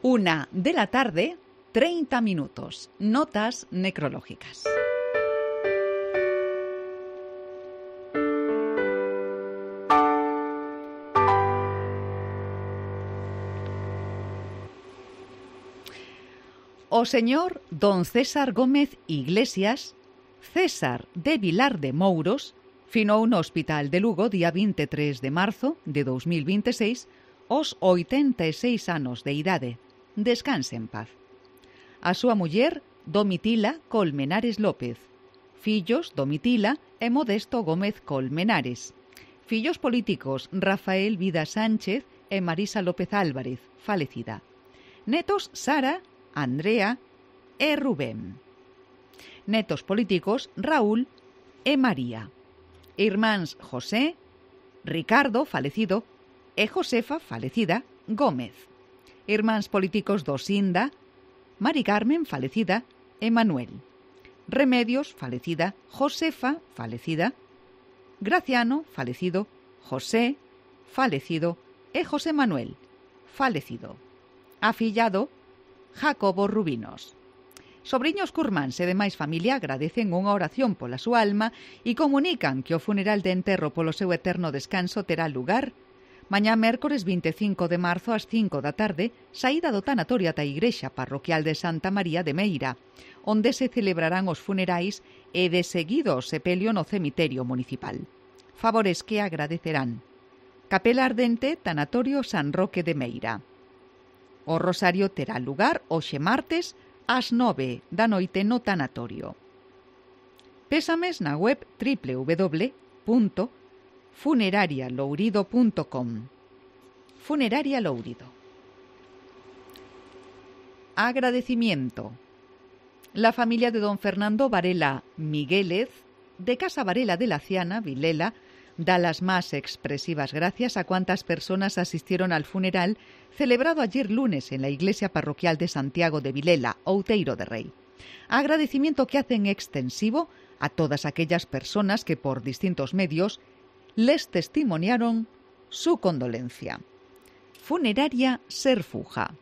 1:30 p.m, notas necrológicas. O señor don César Gómez Iglesias, César de Vilar de Mouros, finou no Hospital de Lugo día 23 de marzo de 2026 aos 86 anos de idade. Descanse en paz. A súa muller, Domitila Colmenares López. Fillos, Domitila e Modesto Gómez Colmenares. Fillos políticos, Rafael Vida Sánchez e Marisa López Álvarez, falecida. Netos, Sara, Andrea e Rubén. Netos políticos, Raúl e María. Irmáns José, Ricardo, falecido, e Josefa, falecida, Gómez. Irmáns políticos Dosinda, Mari Carmen, falecida, e Manuel. Remedios, falecida, Josefa, falecida, Graciano, falecido, José, falecido, e José Manuel, falecido. Afillado, Jacobo Rubinos. Sobriños curmáns e demais familia agradecen unha oración pola súa alma e comunican que o funeral de enterro polo seu eterno descanso terá lugar mañá mércores 25 de marzo ás 5 da tarde, saída do tanatorio ata a igrexa parroquial de Santa María de Meira, onde se celebrarán os funerais e de seguido o sepelio no cemiterio municipal. Favores que agradecerán. Capela Ardente, Tanatorio San Roque de Meira. O rosario terá lugar hoxe martes ás 9 da noite no tanatorio. Pésames na web www.funerarialourido.com. Funeraria Lourido. Agradecimiento. La familia de don Fernando Varela Miguélez, de Casa Varela de la Ciana, Vilela, da las más expresivas gracias a cuantas personas asistieron al funeral celebrado ayer lunes en la iglesia parroquial de Santiago de Vilela, Outeiro de Rei. Agradecimiento que hacen extensivo a todas aquellas personas que por distintos medios les testimoniaron su condolencia. Funeraria Serfuja.